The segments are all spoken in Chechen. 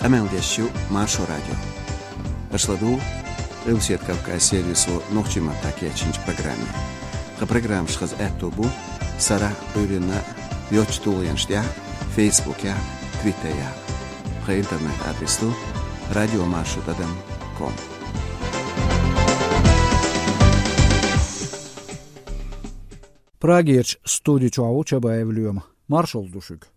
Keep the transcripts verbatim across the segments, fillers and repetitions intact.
Къамел деш ю Маршо радио. Аша ладугӀу Къилбаседа Кавказан сервисо нохчийн маттахь кечйинчу программе. Тхан программаш хаза аьтто бу сарахь а, Ӏуьйранна а йоцачу тулгӀенаш тӀехь а, Фейсбукехь а, Твиттерехь а. Тхан интернет-адрес ду радиомаршо тӀадам ком. Прагерчу студи чохь ву Чабаев Лоьма. Маршалла ду шуьга.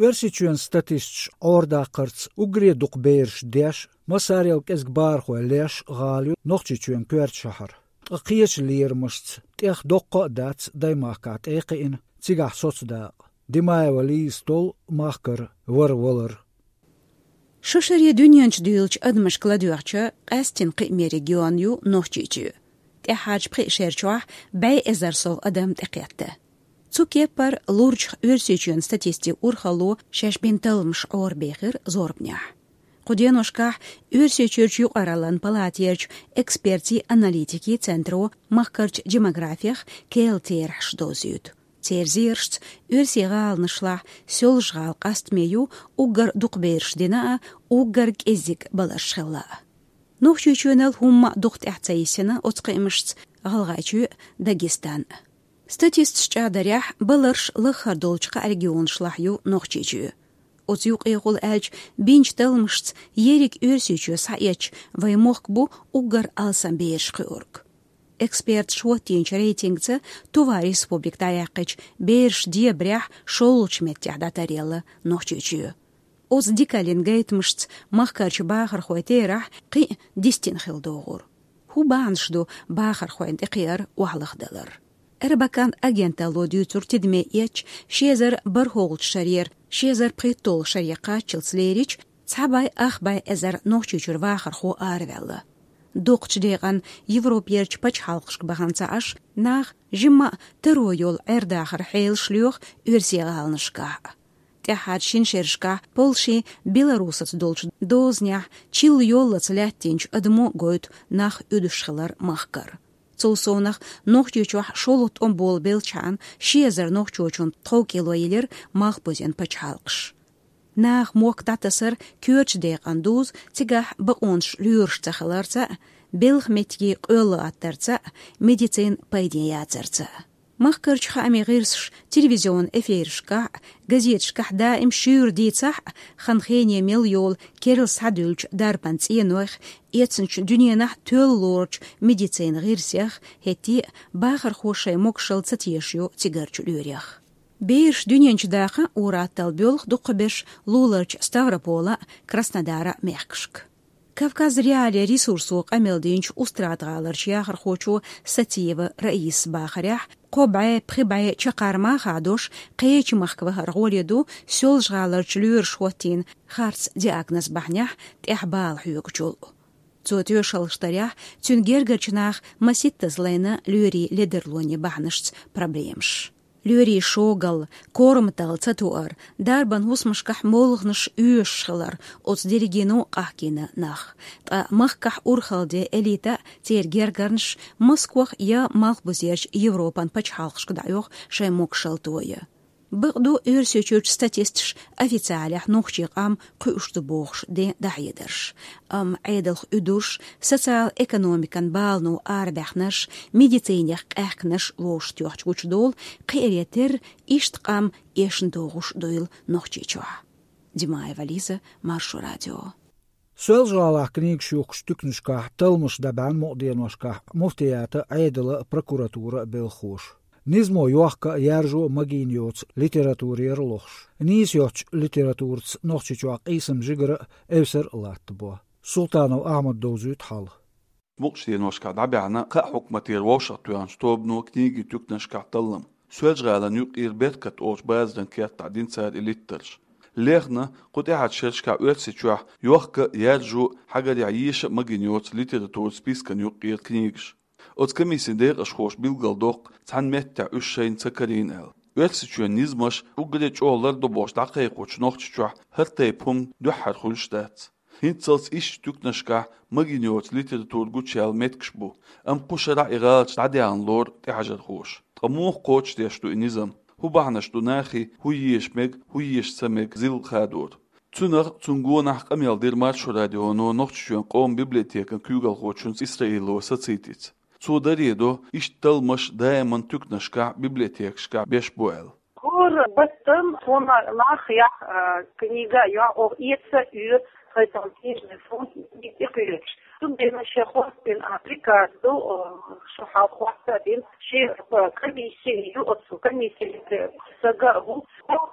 Оьрсийчоьнан статисташа Ӏорадаккхарца уггаре дукха бераш деш, массарел кӀезиг бахархой леш гӀала ю Нохчийчоьнан коьртачу шахьара. Ткъа кхечу лерамашца тӀех доккха а дац даймахкахь тӀе а кхиъна цигахь соцу дакъа. Димаева Лиза толлу махкара вара валар. Шо шаре дуьнен чу дуьйлучу адамашка ладоьгӀча, къаьсттина кхиаме регион ю Нохчийчоь. ТӀаьххьарчу пхи шерчохь бӀе эзар сов адам тӀекхетта. Цу кеппара лурчух Оьрсийчоьнан статистикан урхалло шаьш бина талламаш Ӏорабехира зорбанехь. Кху деношкахь Оьрсийчуьрчу юкъараллин палатехь экспертийн-аналитикийн центро махкарчу демографех керла терахьаш довзуьйту. Церан зерашца, оьрсийн гӀаланашлахь Соьлжа-ГӀала къастаме ю уггар дукха бераш дина а, уггар кӀеззиг баларш хилла а. Нохчийчоьнал хӀумма а дукха тӀаьхьа ца йисина оцу кхиамашца ГӀалгӀайчоь а, Дагестан а. Статисташа чӀагӀдарехь, баларш лаххара долчу кхаа регионашлахь ю Нохчийчоь. Оцу юкъехула аьлча, бинчу талламашца ерриг Оьрсийчоь схьаэцча, вайн мохк бу уггар алсам бераш кхуьург. Эксперташа хӀоттийначу рейтингца Тува республика дӀаяьккхича, бераш дебарехь шолгӀачу меттехь дӀатаръелла Нохчийчоь. Оцу дикаллин гайтамашца махкарчу бахархойн терахь кхин а дистина хила догӀура. ХӀун бахьанаш ду бахархойн тӀекхиар охьалахдалар? Эрбакан агенталло дуьйцург тидаме эцча, ши эзар бархӀолгӀачу шарера ши эзар пхийтталгӀачу шаре кхаччалц лерича, цхьа бӀе ах бӀе эзар Нохчийчуьра вахархо араваьлла. Доккхачу декъана Европерчу пачхьалкхашка бахана ца Ӏаш, наха жимма а таро йолу Ӏер-дахаран хьелаш лоьху оьрсийн гӀаланашкахь а. ТӀаьххьарчу шина шерашкахь Польшин, Беларусаца долчу дозанехь чилла йоллалц лаьттинчу адамо гойту нах уьдуш хилар махкара. Цул совнаха, Нохчийчохь шолгӀа тӀом болу белхьан ши эзар нохчочунна тхов кӀело йиллира малхбузен пачхьалкхаш. Наха мохк дӀатасар коьртачу декъана дузу, цигахь бакъонаш лоьруш ца хиларца а, белхан меттиге къоьлла латтарца а, медицинан пайден яцарца а. Махкарчу хаамийн гӀирсаша телевизионан эфирашкахь а, газеташкахь даим шуьйра дийцахь а, хан-хене мел йолу керла схьадуьллучу дарбан цӀенойх, эцначу дуьненахь тоьлла лоручу медицинан гӀирсех, хӀетте а бахархо шайн могушалла ца тешаш ю цигарчу лоьрех. Бераш дуьнен чу даха ур-атталла боьлху дукхахберш луларчу Ставрополан а, Краснодаран а мехкашка. Кавказ.Реалии ресурсо къамел динчу Устрада-гӀаларчу яхархочо Сатиева Раисас бахарехь, кхо бӀе, пхи бӀе чаккхарма а хадош, кхечу махка вахар гӀоле ду Соьлжа-ГӀаларчу лоьраша хӀоттийна харц диагноз бахьанехь тӀехь бала хьоьгучул. Цо тоьшаллаш дарехь, цуьнан гергарчу наха масийттаза лайна лоьрийн ледарлонийн бахьанашца проблемаш. Лоьрийн шогалла, корматалла ца тоар, дарбан хӀусамашкахь молханаш оьшуш хилар, оцу дерриге а къахкийна нах. Ткъа махкахь урхалла ден элита а, церан гергарнаш а Москвах я Малхбузерчу Европан пачхьалкхашка дӀаоьху шайн могушалла тоя. Бакъду, Оьрсийчуьрчу статисташа официалехь нохчийн къам кхуьуш ду бохуш ден дӀахьедарш. Амма Ӏедалх уьдурш, социал-экономикан балано арабаьхнарш, медицинех къаьхкинарш вовшахтоьхча гучудолу кхере терра иштта къам эшна догӀуш дуйла Нохчийчохь. Димаева Лиза, Маршо радио. Соьлжа-ГӀалахь книгаш юхкучу туькнашкахь талламаш дӀабаьхьна мукъа деношкахь муфтиятан а, Ӏедалан а, прокуратуран а белхахоша. Низамо йохка а, яржо а магийна йоцу литературера лохуш. Нийса йоцчу литератураца Нохчийчохь къийсам жигара а, эвсара а латтабо. Султанов Ахьмада довзуьйту хьал. Мукъачу деношкахь дӀабаьхьна кхаа хьукматера вовшахтоьхначу тобано книгийн туькнашкахь таллам. Соьлжа-ГӀалин юккъера «Беркат» олучу базаран кертахь дина цара и литтарш. Лехна кху тӀаьхьарчу шерашкахь Оьрсийчохь йохка а, яьржо а, хьагарехь еша а магийна йоцу литературан спискана юккъера книгаш. Оцу комиссин декъашхоша билгалдоккху, цхьана меттехь уьш шайна ца карийна аьлла. Оьрсийчоьнан низамаш уггаре чӀогӀа лардо бохуш дӀакхайкхочу Нохчийчохь хӀара тайпа хӀума дуьххьара хуьлуш дац. ХӀинццалц ишттачу туьканашкахь магийна йоцу литература гучуяьлла меттигаш бу, амма кху шарахь и гӀалаташ дӀадаьхьна лору тӀехьажархоша. Ткъа муха кхочушдеш ду и низам? ХӀун бахьанаш ду нахе, хӀун еша мега, хӀун еша ца мега зилла хадор? Цунах а, цунна гонах а къамел дира Маршо радионо Нохчийчоьнан къоман библиотекан куьйгалхочуьнца Исраилова Сацийтица. Цо даре до, иштта талламаш даиман туьканашкахь, библиотекашкахь беш бу аьлла. ХӀора баттана тхуна нах яхь, а, книга а йохь, оха эца а оьцу тхайн книжный фонд тӀе кхоьруш. Цундела шен хьостийна, а, приказ ду, а, шу хьалха хьоста а дина, шен, а, комиссия ю, оцу комиссин стага а ву,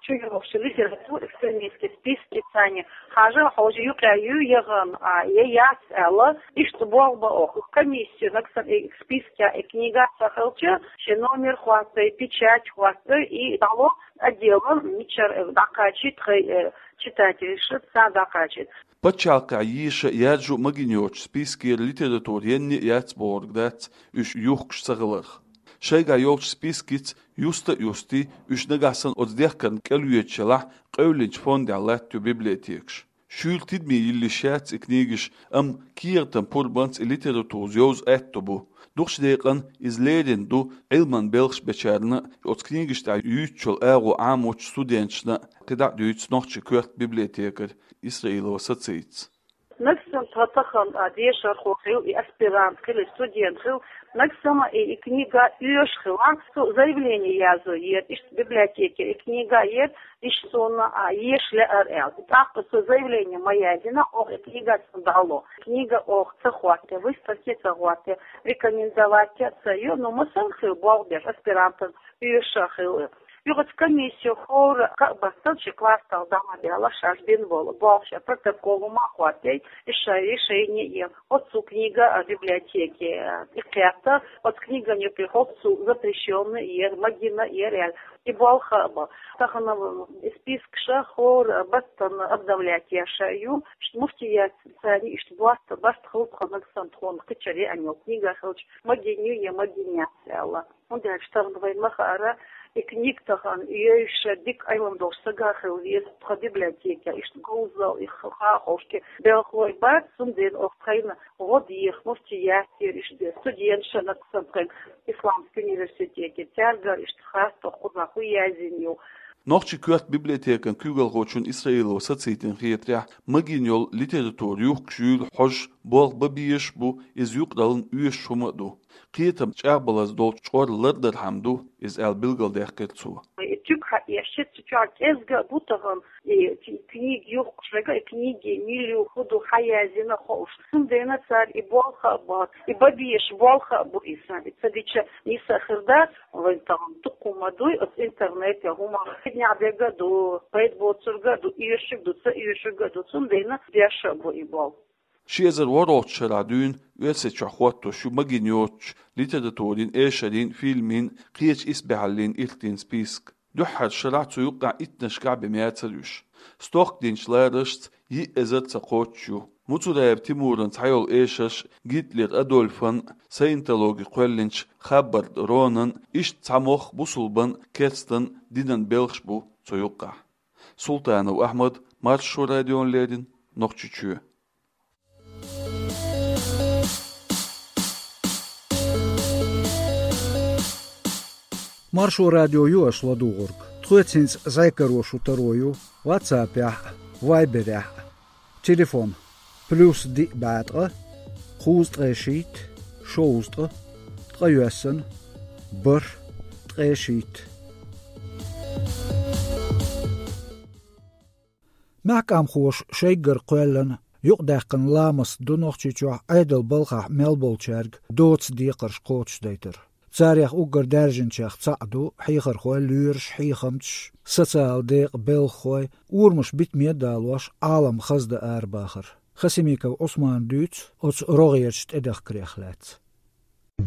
Чу йогӀуш литература экстремистский списки царна хьажа, хьожа юкъа ю яхана, а, я яц аьлла, иштта болх бан оха. Комиссия нагахь санна и спискехь и книга ца хилча, шен номер хӀоттой, печать хӀоттой, и дӀало отделан мичара дӀакхачийта тхайн, э, читательша царна дӀакхачийта. Пачхьалкхехь еша а, яьржо а магийна йоцучу спискера литература енна а яц бохург дац, уьш юхкуш ца хиларх. Шайгахь йолчу спискица юста а юстий, уьш нагахь санна оцу дехкарна кӀел йоьдуш елахь, къевлинчу фондехь латтайо библиотекаш. Шуьйра тидаме йиллиш яц и книгаш, амма кехатан пурбанца и литература йовза аьтто бу. Дукхачу декъана иза лерина ду Ӏилман белхаш бечарна а, оцу книгаш тӀехь юьйцучу агӀо Ӏамочу студенташна а, кхидӀа а дуьйцу нохчийн коьрта библиотекарь Исраилова Сацийтас. Нагахь санна тхан тахана, а, дешархо хила, и аспирант хила, и студент хила, нагахь санна и, и книга оьшуш хилахь, цо заявление язъян еза, иштта библиотеке и книга еза, иштта суна, а, еша лаьара аьлла. ТӀаккха цо заявление ма яздина, оха и книга цунна дӀало. Книга оха ца хӀотто, выставке ца хӀотто, рекомендовать а ца йо, ну, массанхьа хила болх беш аспирантан оьшуш хила. Юха оцу комиссино хӀора кхаа баттана ши класс тӀехь дӀа ма даьлла, шаьш бина болу болх, шайн протокол хӀума а хӀоттий, и шай, и шайне а ена. Оцу книга а библиотеке, а, и кхетта, оцу книган юкъе хӀоццул запрещённый яра, магийна яра аьлла, и болх а бан. Тахана, м, и спискаш а хӀора баттана обновлять еш а ю, муфтиятца царна иштта барт, барт хилла тхо нагахь санна тхуна кхечара еана йолу книга хилча, магийна ю я магийна яц аьлла. ХӀунда аьлча тахана вайна ма хаьара, и книга тахана йовзуш дика Ӏилма долуш стаг хила веза тхан библиотекехь, иштта говзалла, и ха-, хаа ховшке белхалой бац, цундела оха тхайна гӀо деха, муфтиятера иштта студенташна нагахь санна тхайн исламский университете, цаьргара иштта хаттар кхузахь хӀун яздина ю. Нохчийн коьрта библиотекан куьйгалхочун Исраилова Сацийтин хетарехь, магийна йолу литература юхкуш юйла хьожуш болх бан безаш а бу, иза юкъараллин оьшуш хӀума а ду. Кхетам чӀагӀбалаза долчу чкъор лардархьама ду иза аьлла билгалдаьккхира цо. И туька хьаэшча, цу чохь кӀезга а бу тахана, и кни-, книга юхкуш верг а, и книгин мила ю, хӀун ду, хьан яздина хууш. Цундела цара и болх а бан, и бан безаш болх а бу иза. И ца дича нийса а хир дац, вайн тахана дуккха хӀума дуй, оцу интернете хӀума хӀиннехь дерг а ду, пайда боцург а ду, оьшург а ду, ца оьшург а ду, цундела беш а бу и болх. Ши эзар ворхӀалгӀачу шарахь дуьйна Оьрсийчохь хӀоттош ю магийна йоцучу литературин, эшарин, фильмийн, кхечу исбаьхьаллин иртийн список. Дуьххьара шарахь, цу юккъехь иттаннашкахь бен мацара уьш. Стохкадинчу лараршца йиъ эзар ца кхоччуш ю. Муцураев Тимуран цхьайолу эшарш Гитлер Адольфан, саентологи кхоьллинчу Хаббард Ронан, иштта цхьа мох бусулбан, керстан динан белхаш бу цу юккъехь. Султанов Ахьмад, Маршо радиона леррина, Нохчийчоь. Маршо радио ю аша ладугӀург. Тхоьца хӀинца зӀе каро шу таро ю WhatsApp-ехь а, Viber-ехь а. Телефон: плюс диъ бӀе ткъа, кхузткъе шийтта, шовзткъа, ткъайоьсна, бархӀ, ткъе шийтта. Маьхкамхоша шайгара кхоьллина, юкъадаьккхина ламаст ду Нохчийчохь Ӏедалан балхахь мел болчаьрга доцу декхарш кхочушдайтар. Царех уггар даьржинчех цхьаъ ду хьехархой, лоьраш, хьехамчаш, социалан декъан белхахой, урамаш битаме а далош, Ӏалам хаза дан арабахар. Хасимиков Ӏусмана дуьйцу оцу рогӀерчу тӀедахкарех лаьцна.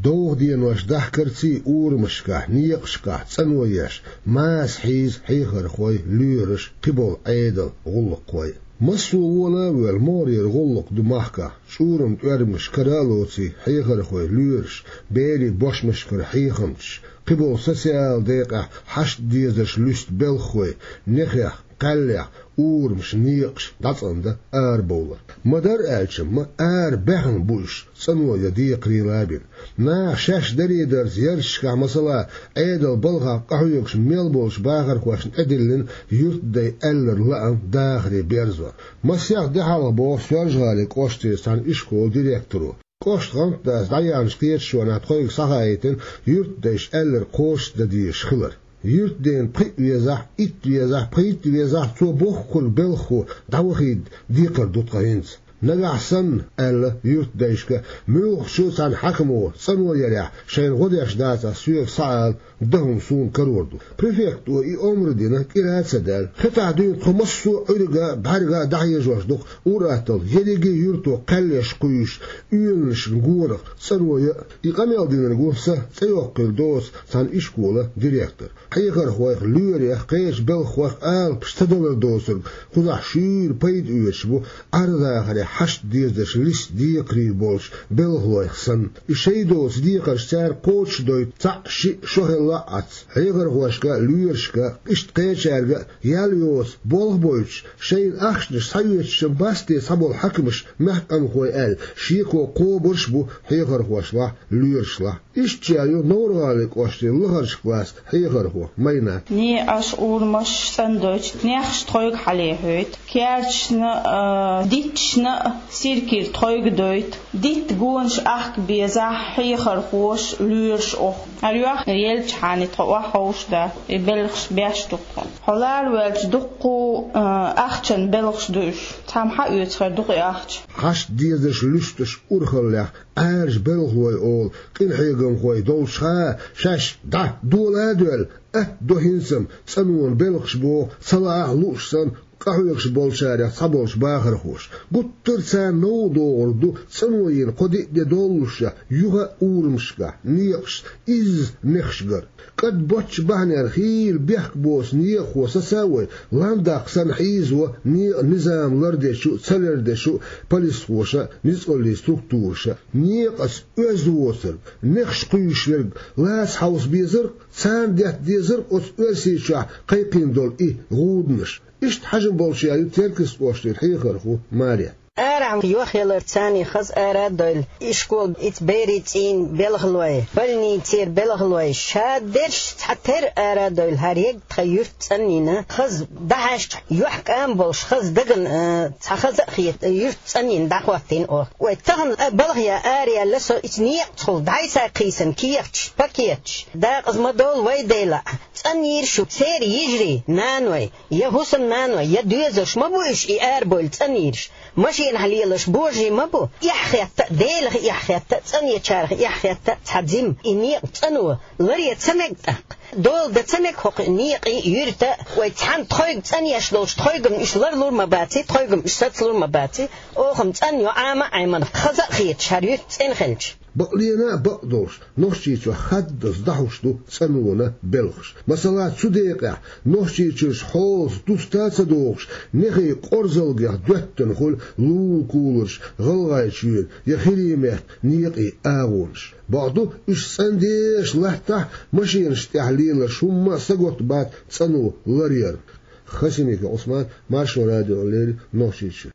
Довха денош дахкарций урамашкахь, некъашкахь цӀано еш, маса хьийза хьехархой, лоьраш, кхиболу Ӏедалан гӀуллакххой. Массо а вон а воьлла, могӀарера гӀуллакх ду махкахь, чӀуран тӀоьрмаш кара а лоций, хьехархой, лоьраш, берийн бошмашкара хьехамчаш, кхиболу социалан декъехь хьашт дезарш луьсту белхахой, нехех, кхаьллех, урамаш, некъаш дӀацӀандан арабовлар. Ма-дарра аьлча, ма ара баьхна бу уьш, цӀано я декхарийлахь а бина. Наха шаьш даре-дарца ярташкахь, масала, Ӏедалан балхах къахьоьгуш мел болчу бахархошна тӀедиллина юьртдай аьлларг лаам дахаре берзор. Масех де хьалха боху Соьлжа-ГӀалин кӀоштара цхьана ишколан директоро, кӀоштан гӀантдас дӀаяьхьначу кхеташонехь тхоьга схьахаийтина юьртдайша аьлларг кхочушдан дезаш хилар. Юьртдена пхиъ везахь, итт везахь, пхийтта везахь, цо бохург белхахо дӀавахийта декхар ду тхан хӀинца. Нагахь санна, аьлла юьртдайшка, муьлххачу цхьана хьаькамо цӀано ярехь шайна гӀо деш дацахь, соьга схьаала, дан хӀума суна карор ду. Префекто и омра дина, кӀира а ца даьлла. Хетахь дуьйна тхо массо а Ӏуьрга а, бӀаьрга а дӀахьежош ду-кх ур-атталла ерриге а юьрто кхаьллеш кхуьйсуш, оьнанашна гонах цӀано ян а. И къамел динарг ву сан цӀе йоккхийла доцу цхьана ишколан директор. Хьехархойх, лоьрех, кхечу белхахойх алапаш ца далар доцург кхузахь шуьйра пайда оьцуш бу, Ӏар-дахаре хьашт дезарш листа декхарий болчу белхалойх санна. И шайн доцу декхарш цара кхочушдойту цхьаъ, шиъ, шо хилла а Ӏац. Хьехархошка а, лоьрашка а, иштта кхечаьрга а ял йоцу болх бойтуш, шайна ахчанаш схьаоьцуш-м бац те цхьаболу хьаькамаш, мехкан къанхой аьлла, шеко кхобуш а бу хьехархошлахь, лоьрашлахь. Иштта ю НовгӀаргӀалин кӀоштан лахарчу классан хьехархо Майнат. Некъаш, урамаш цӀандойту, нехаш тхойга хьалехьойту, керташна а, дитташна а сиркира тхойга дойту, дитта гонаш ахка безахь, хьехархоша, лоьраша оху. ХӀара йохка еллачхьана тхо охьаховшадо, и белхаш беш ду тхо. Хьо лара ваьлча дуккха а, ахчан белхаш ду уьш. Цхьамма хьаоьцу хир ду-кх и ахча. Хьашт дезарш луьстуш урхаллех Ӏаьржа белхалой олу къинхьегамхой долчухьа, шаьш дӀа дола а доьлла, атта до хӀинца-м цӀанонан белхаш боху, ца лаахь а лууш санна, къахьоьгуш болчарех цхьаболчу бахархоша. Гуттар а царна новкъа догӀург ду цӀано йина кхо-диъ де доллушехь, юха а урамашкахь, некъашца изза нехаш гар. КӀад боцчу бахьанехь хийла бехк боцу некъахо сацо вай, ландаккха санна хьийзаво некъан низам лардечу а, ца лардечу а полисхоша а, ницкъаллийн структураша а. Некъаца оьзда воцург, нехаш кхуьйсуш верг лаца хьовса безарг, царна детта дезарг оцу Оьрсийчохь кхайкхийна долу и гӀуданаш. Иштта хьажам болчех ю Теркйистан кӀоштара хьехархо Марет. Арахь йохъялар царний хаза ара а дойлу, ишкол, ица берийн цӀийнан белхалой, больницера белхалой, шадерш цхьатерра ара а дойлу, хӀара ерг тхан юьрт цӀанйина, хаза дӀахьаьжча, юьхькӀам болуш, хаза дагана, а, цхьа хаза а хета, юьрт цӀанйина дӀахӀоттийна оха. Вай тахана а балхаяь араяьлла со, ица некъацахула дӀасакхийсина кехаташ, пакеташ, дакъаза ма долу вай, Дела, цӀанйийра шу, церан йижарий, наной, я хӀусамнаной, я доьзалш ма бу уьш, и арабевлла цӀанйийраш. Машенахь лелаш божарий ма бу. Эхь хетта а, Делах эхь хетта а, цӀанъечарах эхь хетта а цхьа жима и некъа цӀано ларъян ца мега тӀаккха. Дола дан ца мега хӀокху некъий, юьртан а. Вай цхьаьна тхойга цӀанъеш долчу тхойгана уьш ларлур ма баций, тхойгана уьш сацалур ма баций. Оха-м цӀанйо Ӏама а Ӏемина, хаза а хеташ, хӀара юьрт цӀена хилча. Бакълена а бакъдолуш, Нохчийчохь хаддаза дӀахьуш ду цӀанонан белхаш. Масала, цу декъехь Нохчийчуьрчу хьолаца дуста а ца догӀуш, нехий къорзалгех доьттина хуьлу лулакуларш, ГӀалгӀайчоьнан я ХӀирийн меттан некъийн агӀонаш. Бакъду, уьш цӀандеш латтахь а, машенаш тӀехь лелаш хӀумма а сагатбац цӀано ларъярна. Хасимиков Ӏусман, Маршо радиона леррина, Нохчийчуьра.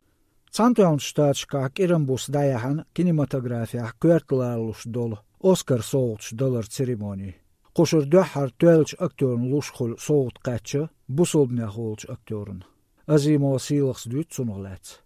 Цхьаьнатоьхначу Штаташкахь кӀиран буса дӀаяьхьна кинематографехь коьрта ларалуш долу Оскар совгӀаташ даларан церемони. Кху шарахь дуьххьара тоьллачу актёрна луш хуьлу совгӀат кхаьчна бусалбанех волчу актёрна. Азимова Сийлахас дуьйцу цунах лаьцна.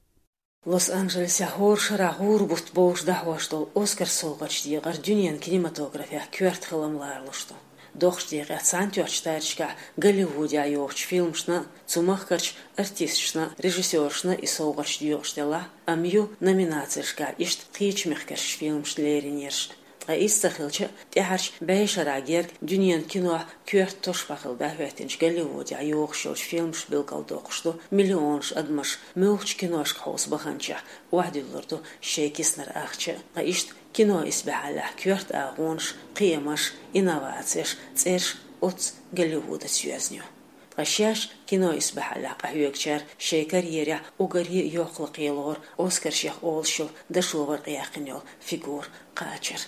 Лос-Анджелесехь хӀора шарахь гӀура бутт бовш дӀахьош долу Оскар совгӀаташ декъар дуьненан кинематографехь коьрта хилам ларалуш ду. Доккхачу декъехь Цхьаьнатоьхначу Штаташкахь Голливудехь йохучу фильмашна а, цу махкарчу артисташна а, режиссёрашна а и совгӀаташ доькъуш делахь а, амма ю номинацешкахь иштта кхечу мехкарчу фильмашна леринерш а. Ткъа иза ца хилча а, тӀаьхьарчу бӀешарахь герга дуьненан кинохь коьрта тосуш бахьана дӀахӀоьттинчу Голливудехь йохуш йолчу фильмаша билгалдоккхуш ду миллионаш адамаш муьлххачу киношка хьовса баханчохь охьадуьллур ду шайн киснара ахча а. Ткъа иштта Кино исбаьхьаллехь коьрта агӀонаш, кхиамаш, инновацеш, цӀераш оццу Голливудаца йоьзна ю. Ткъа шаьш кино исбаьхьаллехь къахьоьгучара шайн карьерехь уггаре а йоккхалла кхелору Оскаршех олуш йолу дашо варкъ яьккхина йолу фигура кхачар.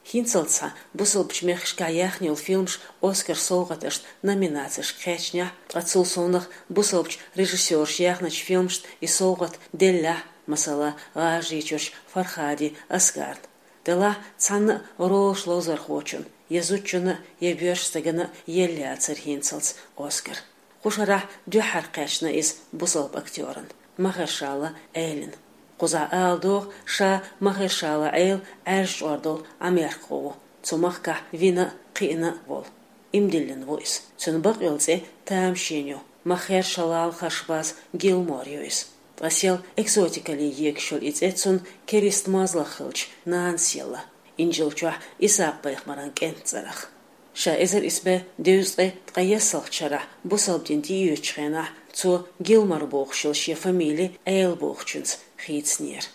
ХӀинццалц цхьа бусалбачу мехкашкахь яьхна йолу фильмаш Оскар совгӀаташна номинацешка кхаьчнехь, ткъа цул совнаха бусалбачу режиссёраша яьхначу фильмашна и совгӀат деллехь, масала, ГӀажарийчуьрчу Фархади Аскарна. Делахь цхьанна а ролаш ловзархочунна, я зудчунна, я боьрша стагана елла яцара хӀинццалц Оскар. Кху шарахь дуьххьара кхаьчна иза бусалба актёрна, Махершала Элина. Кхузахь ала догӀу, ша Махершала Эла Ӏаьржа чкъор долу Ӏамеркахо ву, цу махкахь вина а, кхиъна а волу. Иман диллина ву иза. Цуьнан бакъйолу цӀе тамашийна ю, Махершалал харш база Гилмор ю иза. Ткъа сел экзотикале егаш йолу и цӀе цунна керста мозлах хиллачу нанас елла, Инжил чохь Исакъ-пайхамаран кӀентан цӀарах. Ша эзар исс бӀе дезткъе ткъаесналгӀачу шарахь бусалба дин тӀеоьцучу хенахь цо Гилмор бохуш йолу шен фамили Эла бохучуьнца хийцинера.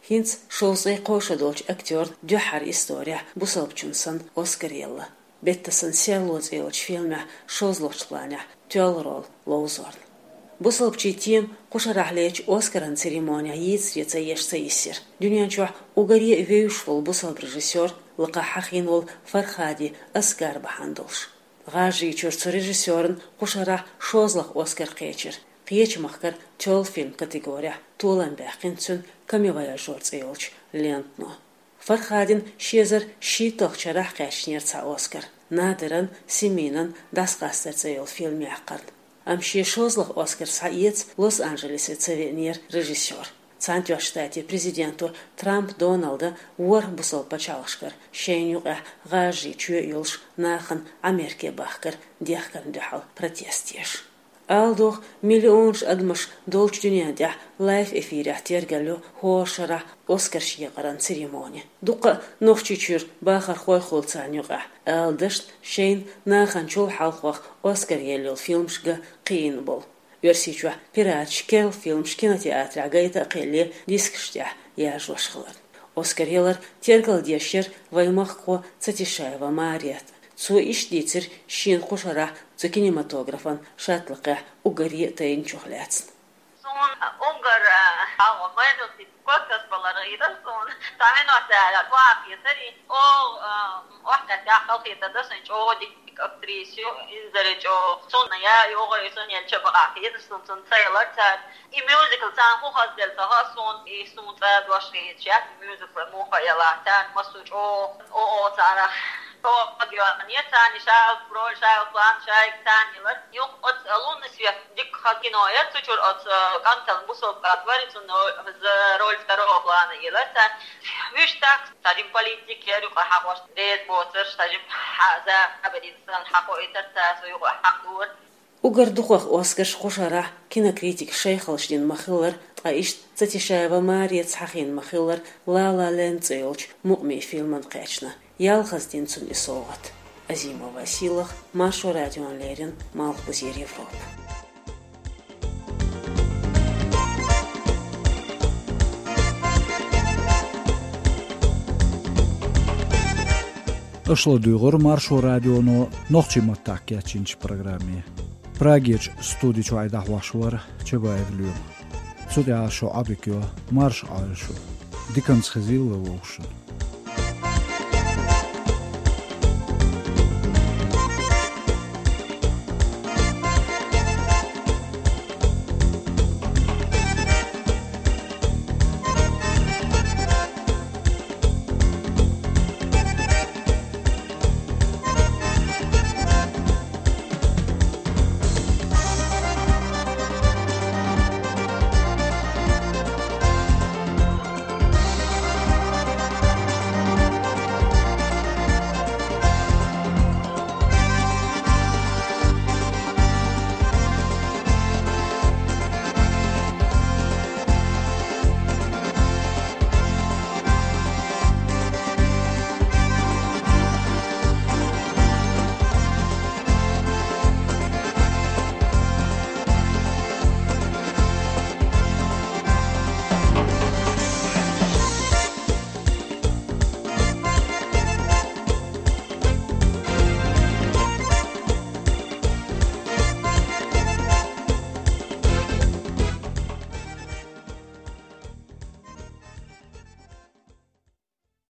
ХӀинца шовзткъе кхо шо долчу актёрна дуьххьара исторехь бусалбачунна санна Оскар елла, «Беттасан серло» цӀе йолчу фильмехь шозлагӀчу планехь тоьлла роль ловзорна. Бусалбачийн тема кху шарахь лечу Оскаран церемонехь йийцаре ца еш ца йисира. Дуьнен чохь уггаре а вевзаш волу бусалба режиссёр лакхахь хьахийна волу Фархади Аскар бахьана долуш. ГӀажарийчуьра цу режиссёрна кху шарахь шозлагӀа Оскар кхечира, кхечу махкара тоьлла фильм категорехь толам баьккхина цуьнан «Камевояжёр» цӀе йолчу лентано. Фархадина ши эзар шийтталгӀачу шарахь кхаьчнера цхьа Оскар, Надиран, Семинан «ДӀасакъастар» цӀе йолу фильм яккхарна. Амма шен шозлагӀа Оскар схьаэца Лос-Анджелесе ца веанера режиссёр. Цхьаьнатоьхначу Штатийн президенто Трамп Доналда ворхӀ бусалба пачхьалкхашкара шайна юкъахь гӀажарийн чоь а йолуш нахана Ӏамерке бахкар дехкарна дуьхьал протест еш. Ала догӀу, миллионаш адамаш долчу дуьнен тӀехь лайв-эфирехь тергалло хӀора шарахь Оскарш екъаран церемони. Дуккха а Нохчийчуьра бахархой хуьлу царна юкъахь, ала дашна, шайна нахана чул хьалхох Оскар елла йолу фильмаш ган кхиийна болу. Оьрсийчохь пираташ керла фильмаш кинотеатрехь гайта а кхелле, дискаш тӀехь яржош хиларна. Оскар ялар тергалдеш яра вайн махкахо Цатишаева Марета. Цо иштта дийцира шена кху шарахь цу кинематографан шаттлакхехь уггаре а тайначух лаьцна. Суна уггар, а, хьалха майралти кокас балар гӀийра суна. Цхьа минот аьлла, кху а хетари. О, а, охьатаьхкахь халахетар дан сайн чӀогӀа дика актриса ю, инзаре чӀогӀа. Цунна я йогӀу, и цунна елча бакъахь хетар суна, цунна ца ялар цара. И мюзикл царна хӀун хазделла ца хаьа суна, и суна цӀа дош хеташ яц, и мюзикл муха ялахь, царна массо чӀогӀа о, о, царах. О, хазделла, не царна шайга роль, шайга план, шайга царна ялар. Юха оцу «Лунный свет» дика хан кино яра, цу чуьра оцу кӀантана бусалба кӀант вара, цунна роль второго плана елар царна. Вуьш так, стажим политик яра юкъа хьахош, реза боцурш, стажим хьа-, забарин сан хьахойтар цара, со юкъа хьахдора. Уггар дукхах Оскарш кху шарахь кинокритикаша шайх хилча дина ма-хиллара, ткъа иштта Цатишаева Марета хьахийна ма-хиллара, «Ла Ла Ленд» цӀе йолчу мукъамийн фильмана кхаьчна. Ялхаза дина цунна и совгӀат. Азимова Сийлаха, Маршо радиона леррина, Малхбузера Европа. Аша ладуьйгӀура Маршо радионо нохчийн маттахь кечйинчу программе. Прагерчу студи чуьра дӀахьош вара Чабаев Лоьма. Цу тӀехь шун Ӏодика йо, марша Ӏойла шу. Диканца хезийла вовшашна.